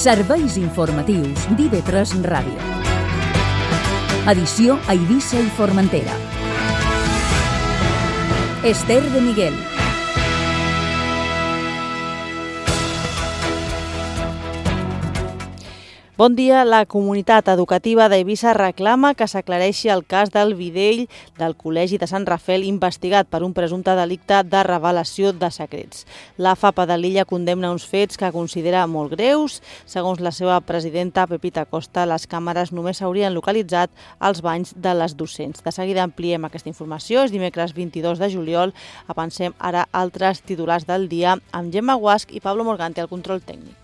Serveis informatius d'IV3 Ràdio. Edició a Eivissa i Formentera. Esther de Miguel. Bon dia. La comunitat educativa d'Eivissa reclama que s'aclareixi el cas del Videll del Col·legi de Sant Rafel investigat per un presumpte delicte de revelació de secrets. La FAPA de l'illa condemna uns fets que considera molt greus. Segons la seva presidenta, Pepita Costa, les càmeres només s'haurien localitzat als banys de les docents. De seguida ampliem aquesta informació. És dimecres 22 de juliol. Avancem ara altres titulars del dia amb Gemma Guasch i Pablo Morgante al control tècnic.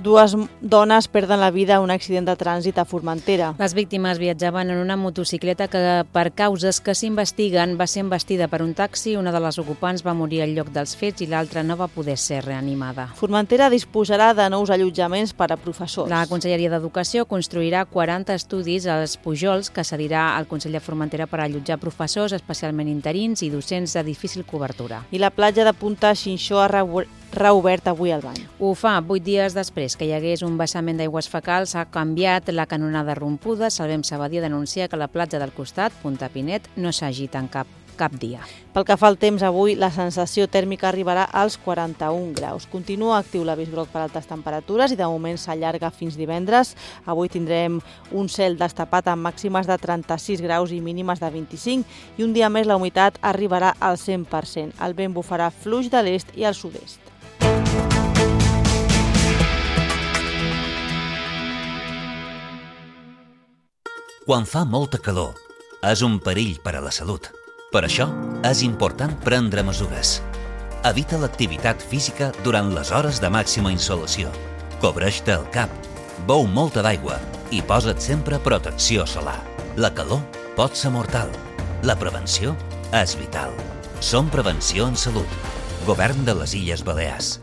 Dues dones perden la vida en un accident de trànsit a Formentera. Les víctimes viatjaven en una motocicleta que, per causes que s'investiguen, va ser embestida per un taxi. Una de les ocupants va morir al lloc dels fets i l'altra no va poder ser reanimada. Formentera disposarà de nous allotjaments per a professors. La Conselleria d'Educació construirà 40 estudis als Pujols que cedirà al Consell de Formentera per allotjar professors, especialment interins i docents de difícil cobertura. I la platja de Punta Xinxó ha reobert avui el bany. Ho fa 8 dies després que hi hagués un vessament d'aigües fecals. Ha canviat la canonada rompuda. Salvem Sabadia denuncia que la platja del costat, Punta Pinet, no s'agita en cap dia. Pel que fa al temps, avui la sensació tèrmica arribarà als 41 graus. Continua actiu l'avís groc per altes temperatures i de moment s'allarga fins divendres. Avui tindrem un cel destapat amb màximes de 36 graus i mínimes de 25 i un dia més la humitat arribarà al 100%. El vent bufarà fluix de l'est i al sud-est. Quan fa molta calor, és un perill per a la salut. Per això, és important prendre mesures. Evita l'activitat física durant les hores de màxima insolació. Cobreix-te el cap, beu molta d'aigua i posa't sempre protecció solar. La calor pot ser mortal. La prevenció és vital. Som Prevenció en Salut. Govern de les Illes Balears.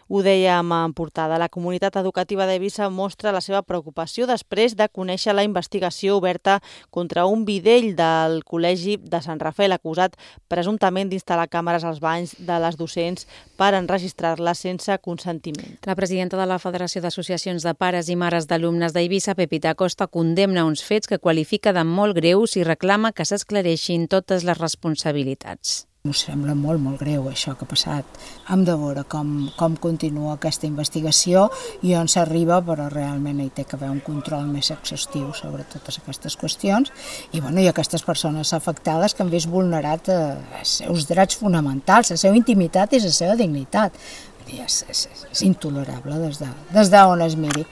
Ho dèiem en portada. La comunitat educativa d'Eivissa mostra la seva preocupació després de conèixer la investigació oberta contra un videll del Col·legi de Sant Rafel acusat presumptament d'instal·lar càmeres als banys de les docents per enregistrar-les sense consentiment. La presidenta de la Federació d'Associacions de Pares i Mares d'Alumnes d'Eivissa, Pepita Costa, condemna uns fets que qualifica de molt greus i reclama que s'esclareixin totes les responsabilitats. Ens sembla molt greu això que ha passat. Hem de veure com continua aquesta investigació i on s'arriba, però realment hi té que haver un control més exhaustiu sobre totes aquestes qüestions i aquestes persones afectades que han vist vulnerat els seus drets fonamentals, la seva intimitat i la seva dignitat. És intolerable des d'on es miri.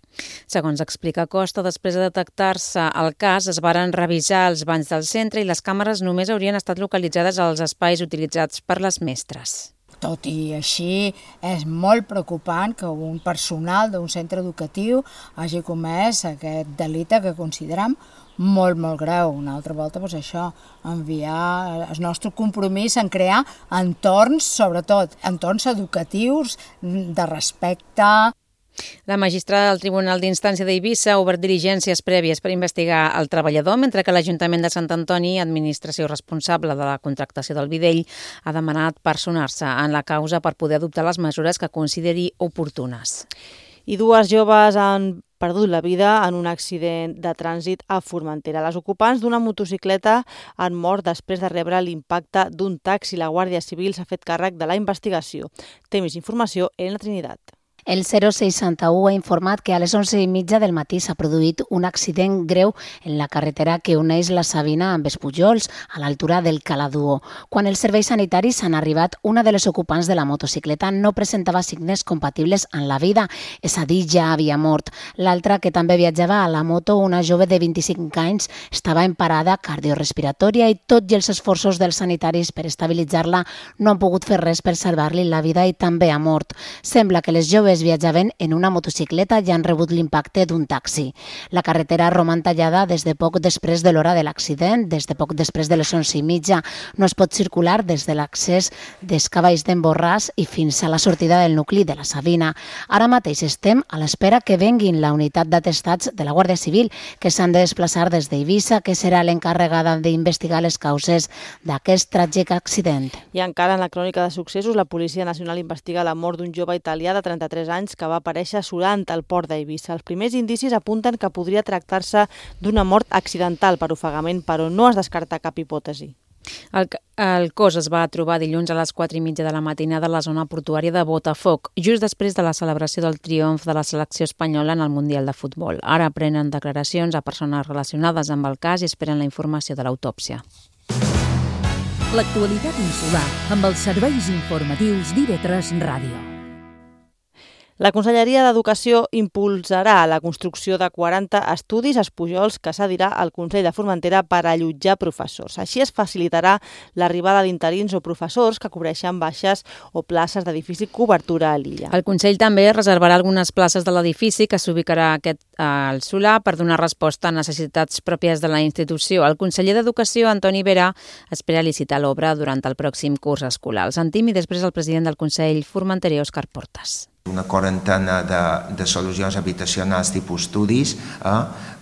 Segons explica Costa, després de detectar-se el cas, es varen revisar els banys del centre i les càmeres només haurien estat localitzades als espais utilitzats per les mestres. Tot i així, és molt preocupant que un personal d'un centre educatiu hagi comès aquest delicte que considerem molt greu. Una altra volta, això, enviar el nostre compromís en crear entorns, sobretot entorns educatius de respecte. La magistrada del Tribunal d'Instància d'Eivissa ha obert diligències prèvies per investigar el treballador, mentre que l'Ajuntament de Sant Antoni, administració responsable de la contractació del videll, ha demanat personar-se en la causa per poder adoptar les mesures que consideri oportunes. I dues joves han perdut la vida en un accident de trànsit a Formentera. Les ocupants d'una motocicleta han mort després de rebre l'impacte d'un taxi. La Guàrdia Civil s'ha fet càrrec de la investigació. Té més informació en la Trinitat. El 061 ha informat que a les 11:30 del matí s'ha produït un accident greu en la carretera que uneix la Sabina amb els Pujols, a l'altura del Caladuó. Quan els serveis sanitaris han arribat, una de les ocupants de la motocicleta no presentava signes compatibles amb la vida, és a dir, ja havia mort. L'altra, que també viatjava a la moto, una jove de 25 anys, estava en parada cardiorespiratòria i tot i els esforços dels sanitaris per estabilitzar-la no han pogut fer res per salvar-li la vida i també ha mort. Sembla que les joves joves viatjaven en una motocicleta i han rebut l'impacte d'un taxi. La carretera roman tallada des de poc després de l'hora de l'accident, des de poc després de les 11:30. No es pot circular des de l'accés d'Escavalls d'en Borràs i fins a la sortida del nucli de la Savina. Ara mateix estem a l'espera que venguin la unitat d'atestats de la Guàrdia Civil, que s'han de desplaçar des d'Eivissa, que serà l'encarregada d'investigar les causes d'aquest tràgic accident. I encara en la crònica de successos, la Policia Nacional investiga la mort d'un jove italià de 33 anys que va aparèixer surant al port d'Eivissa. Els primers indicis apunten que podria tractar-se d'una mort accidental per ofegament, però no es descarta cap hipòtesi. El cos es va trobar dilluns a les 4:30 de la matinada a la zona portuària de Botafoc, just després de la celebració del triomf de la selecció espanyola en el Mundial de Futbol. Ara prenen declaracions a persones relacionades amb el cas i esperen la informació de l'autòpsia. L'actualitat insular amb els serveis informatius d'IV3 Ràdio. La Conselleria d'Educació impulsarà la construcció de 40 estudis espujols que cedirà al Consell de Formentera per allotjar professors. Així es facilitarà l'arribada d'interins o professors que cobreixen baixes o places de difícil cobertura a l'illa. El Consell també reservarà algunes places de l'edifici que s'ubicarà al solar per donar resposta a necessitats pròpies de la institució. El conseller d'Educació, Antoni Vera, espera licitar l'obra durant el pròxim curs escolar. El sentim i després el president del Consell Formenterè, Òscar Portas. Una quarantena de solucions habitacionals tipus estudis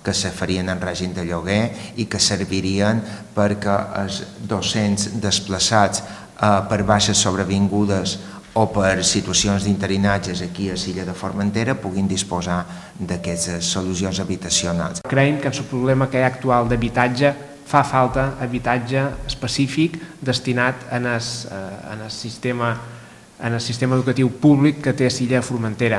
que se farien en règim de lloguer i que servirien perquè els docents desplaçats per baixes sobrevingudes o per situacions d'interinatges aquí a l'illa de Formentera puguin disposar d'aquestes solucions habitacionals. Creiem que en el problema que hi ha actual d'habitatge fa falta habitatge específic destinat en el sistema educatiu públic que té l'illa de Formentera.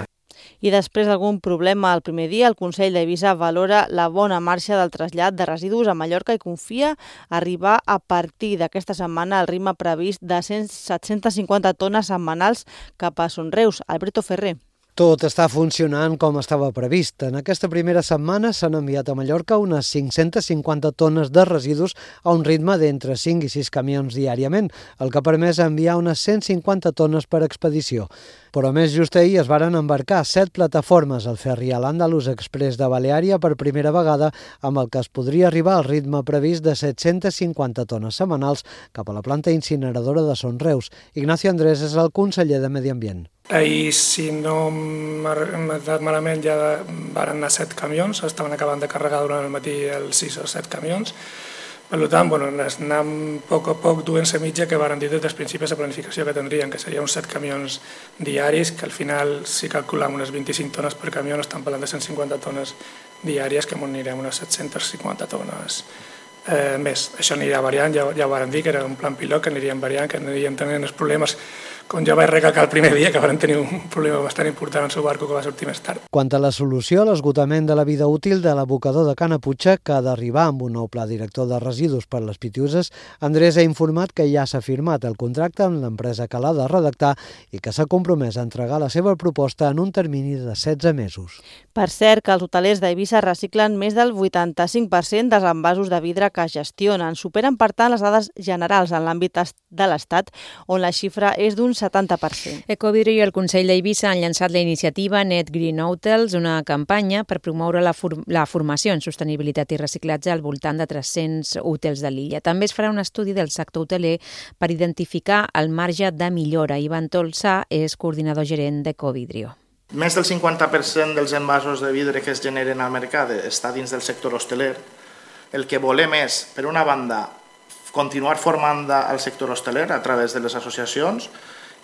I després d'algun problema al primer dia, el Consell d'Eivissa valora la bona marxa del trasllat de residus a Mallorca i confia arribar a partir d'aquesta setmana al ritme previst de 750 tones setmanals cap a Son Reus. Alberto Ferrer. Tot està funcionant com estava previst. En aquesta primera setmana s'han enviat a Mallorca unes 550 tones de residus a un ritme d'entre 5 i 6 camions diàriament, el que ha permès enviar unes 150 tones per expedició. Però més just ahir es varen embarcar 7 plataformes al ferri a l'Andalus Express de Baleària per primera vegada, amb el que es podria arribar al ritme previst de 750 tones setmanals cap a la planta incineradora de Son Reus. Ignacio Andrés és el conseller de Medi Ambient. Ahir, si no m'ha anat malament, ja van anar 7 camions, estaven acabant de carregar durant el matí els 6 o 7 camions. Per tant, anem a poc duent la mitja que varen dir des dels principis de planificació que tindrien, que seria uns 7 camions diaris, que al final, si calculem unes 25 tones per camió, estan parlant de 150 tones diàries, que anirem unes 750 tones més. Això anirà variant, ja ho varen dir, que era un plan pilot, que anirien variant, que anirien tenint els problemes, com ja vaig recalcar el primer dia, que van tenir un problema bastant important en el seu barco que va sortir més tard. Quant a la solució a l'esgotament de la vida útil de l'abocador de Canaputxa, que ha d'arribar amb un nou pla director de residus per les Pitiuses, Andrés ha informat que ja s'ha firmat el contracte amb l'empresa que l'ha de redactar i que s'ha compromès a entregar la seva proposta en un termini de 16 mesos. Per cert, que els hotelers d'Eivissa reciclen més del 85% dels envasos de vidre que gestionen. Superen, per tant, les dades generals en l'àmbit de l'Estat, on la xifra és d'un 70%. Ecovidro i el Consell d'Eivissa han llançat la iniciativa Net Green Hotels, una campanya per promoure la formació en sostenibilitat i reciclatge al voltant de 300 hotels de l'illa. També es farà un estudi del sector hoteler per identificar el marge de millora. Ivan Tolsa és coordinador gerent d'Ecovidro. Més del 50% dels envasos de vidre que es generen al mercat està dins del sector hosteler. El que volem és, per una banda, continuar formant al sector hosteler a través de les associacions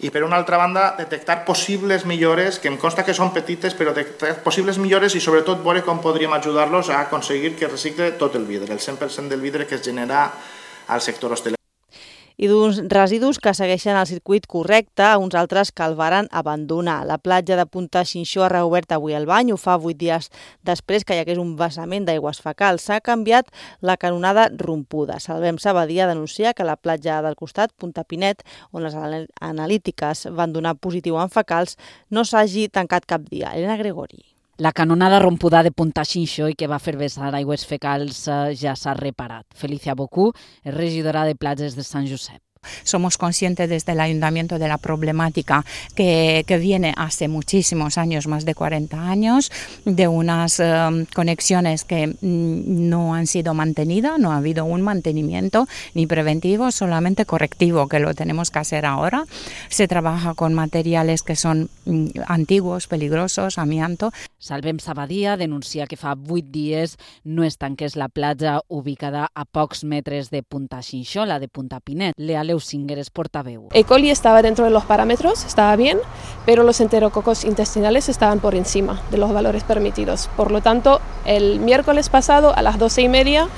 i, per una altra banda, detectar possibles millores, que em consta que són petites, però detectar possibles millores i, sobretot, veure com podríem ajudar-los a aconseguir que recicle tot el vidre, el 100% del vidre que es genera al sector hosteler. I d'uns residus que segueixen el circuit correcte, uns altres que el varen abandonar. La platja de Punta Xinxó ha reobert avui el bany, ho fa 8 dies després que hi hagués un vessament d'aigües fecals. S'ha canviat la canonada rompuda. Salvem Sabadia denuncia que la platja del costat, Punta Pinet, on les analítiques van donar positiu en fecals, no s'hagi tancat cap dia. Elena Gregori. La canonada rompuda de Punta Xinxó i que va fer vessar aigües fecals ja s'ha reparat. Felicia Bocú és regidora de platges de Sant Josep. Somos conscientes desde el Ayuntamiento de la problemática que viene hace muchísimos años, más de 40 años, de unas conexiones que no han sido mantenidas, no ha habido un mantenimiento ni preventivo, solamente correctivo, que lo tenemos que hacer ahora. Se trabaja con materiales que son antiguos, peligrosos, amianto. Salvem Sabadia denuncia que fa 8 dies no es tanqués la platja ubicada a pocs metres de Punta Xinxola, de Punta Pinet. Lea Leusinger es portaveu. E. coli estaba dentro de los parámetros, estaba bien, pero los enterococos intestinales estaban por encima de los valores permitidos. Por lo tanto, el miércoles pasado a las 12:30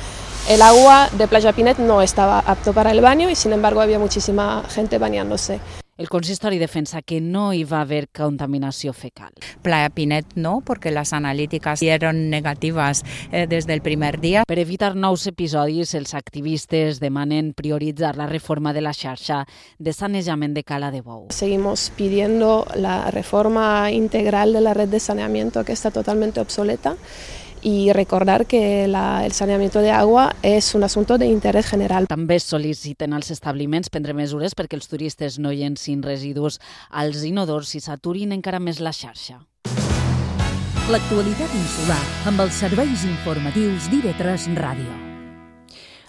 el agua de Playa Pinet no estaba apto para el baño y sin embargo había muchísima gente bañándose. El consistori defensa que no hi va haver contaminació fecal. Playa Pinet no, porque las analíticas dieron negativas desde el primer día. Per evitar nous episodis, els activistes demanen prioritzar la reforma de la xarxa de sanejament de Cala de Bou. Seguimos pidiendo la reforma integral de la red de saneamiento, que está totalmente obsoleta, y recordar que el saneamiento de agua és un assumpte d'interès general. També sol·liciten als establiments prendre mesures perquè els turistes no llencin residus als inodors i s'aturin encara més la xarxa. L'actualitat insular amb els serveis informatius d'IV3 Ràdio.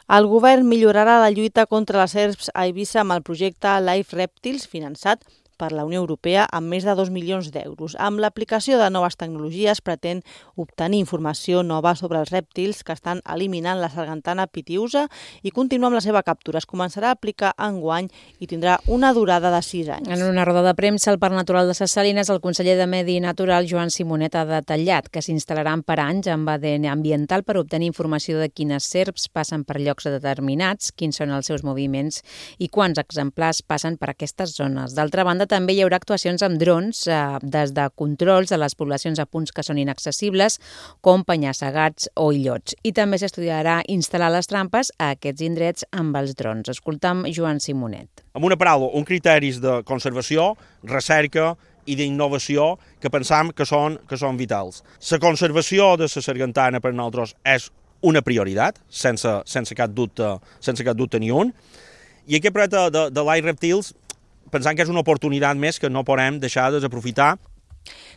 El govern millorarà la lluita contra les serps a Eivissa amb el projecte Live Reptiles, finançat per la Unió Europea amb més de 2 milions d'euros. Amb l'aplicació de noves tecnologies pretén obtenir informació nova sobre els rèptils que estan eliminant la sargantana pitiusa i continuar amb la seva captura. Es començarà a aplicar enguany i tindrà una durada de 6 anys. En una roda de premsa al Parc Natural de Ses Salines, el conseller de Medi Natural, Joan Simonet, ha detallat que s'instal·laran per anys amb ADN ambiental per obtenir informació de quines serps passen per llocs determinats, quins són els seus moviments i quants exemplars passen per aquestes zones. D'altra banda, també hi haurà actuacions amb drons des de controls de les poblacions a punts que són inaccessibles, com penya-segats o illots. I també s'estudiarà instal·lar les trampes a aquests indrets amb els drons. Escoltam Joan Simonet. Amb una paraula, un criteris de conservació, recerca i d'innovació que pensam que són vitals. La conservació de la sargantana per nosaltres és una prioritat, sense cap dubte ni un. I aquest projecte de Live Reptiles pensant que és una oportunitat més que no podem deixar de desaprofitar.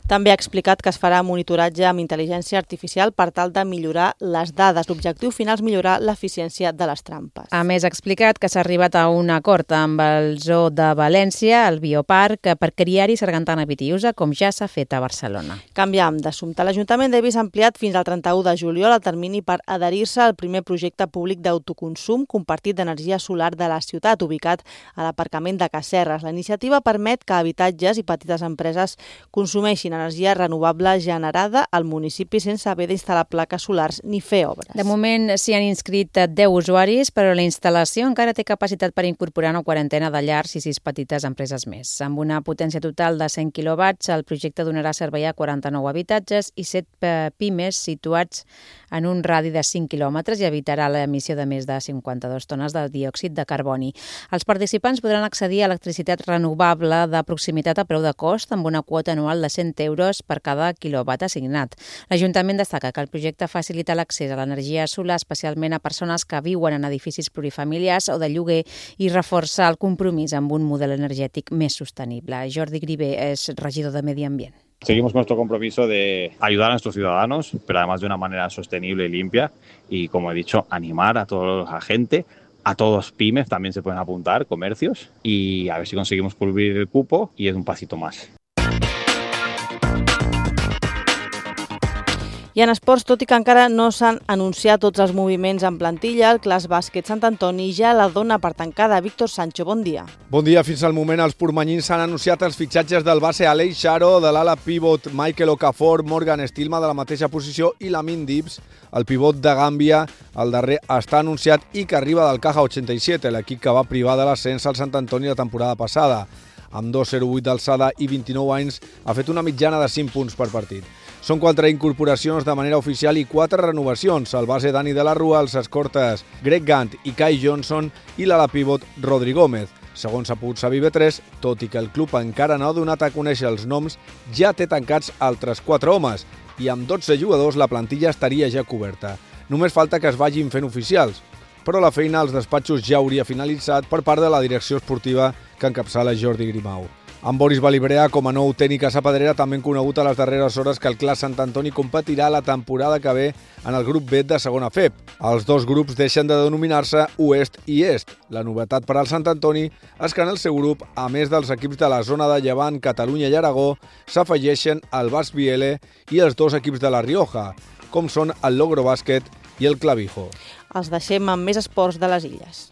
També ha explicat que es farà monitoratge amb intel·ligència artificial per tal de millorar les dades. L'objectiu final és millorar l'eficiència de les trampes. A més, ha explicat que s'ha arribat a un acord amb el Zoo de València, el Bioparc, per criar-hi sargantana pitiusa, com ja s'ha fet a Barcelona. Canviam d'assumpte. L'Ajuntament d'Eivissa ha ampliat fins al 31 de juliol el termini per adherir-se al primer projecte públic d'autoconsum compartit d'energia solar de la ciutat, ubicat a l'aparcament de Casserres. La iniciativa permet que habitatges i petites empreses consumeixin energia renovable generada al municipi sense haver d'instal·lar plaques solars ni fer obres. De moment s'hi han inscrit 10 usuaris, però la instal·lació encara té capacitat per incorporar una quarantena de llars i 6 petites empreses més. Amb una potència total de 100 quilowatts, el projecte donarà servei a 49 habitatges i 7 pimes situats en un radi de 5 quilòmetres i evitarà l'emissió de més de 52 tones de diòxid de carboni. Els participants podran accedir a electricitat renovable de proximitat a preu de cost amb una quota anual de 100 euros per cada quilowatt assignat. L'Ajuntament destaca que el projecte facilita l'accés a l'energia solar especialment a persones que viuen en edificis plurifamiliars o de lloguer i reforça el compromís amb un model energètic més sostenible. Jordi Grivé és regidor de Medi Ambient. Seguimos con nuestro compromiso de ayudar a nuestros ciudadanos, pero además de una manera sostenible y limpia. Y como he dicho, animar a toda la gente, a todos pymes también se pueden apuntar, comercios, y a ver si conseguimos cubrir el cupo y es un pasito más. I en esports, tot i que encara no s'han anunciat tots els moviments en plantilla, el Clas Bàsquet Sant Antoni ja la dona per tancada. Víctor Sancho, bon dia. Bon dia. Fins al moment els portmanyins s'han anunciat els fitxatges del base Aleix Xaro, de l'ala pivot Michael Okafor, Morgan Stilma de la mateixa posició i Lamin Dibbs, el pivot de Gàmbia. El darrer està anunciat i que arriba del Caja 87, l'equip que va privar de l'ascens al Sant Antoni la temporada passada. Amb 2,08 d'alçada i 29 anys, ha fet una mitjana de 5 punts per partit. Són 4 incorporacions de manera oficial i 4 renovacions. El base Dani de la Rua, els escortes Greg Gant i Kai Johnson i l'ala pivot Rodri Gómez. Segons ha pogut saber IB3, tot i que el club encara no ha donat a conèixer els noms, ja té tancats altres 4 homes i amb 12 jugadors la plantilla estaria ja coberta. Només falta que es vagin fent oficials. però la feina als despatxos ja hauria finalitzat per part de la direcció esportiva que encapçala Jordi Grimau. Amb Boris Balibrea com a nou tècnic a Sapadrera també han conegut a les darreres hores que el Clas Sant Antoni competirà la temporada que ve en el grup B de segona FEP. Els dos grups deixen de denominar-se Oest i Est. La novetat per al Sant Antoni és que en el seu grup, a més dels equips de la zona de Llevant, Catalunya i Aragó, s'afegeixen el Basc Biele i els dos equips de la Rioja, com són el Logro Bàsquet i el Clavijo. Els deixem amb més esports de les illes.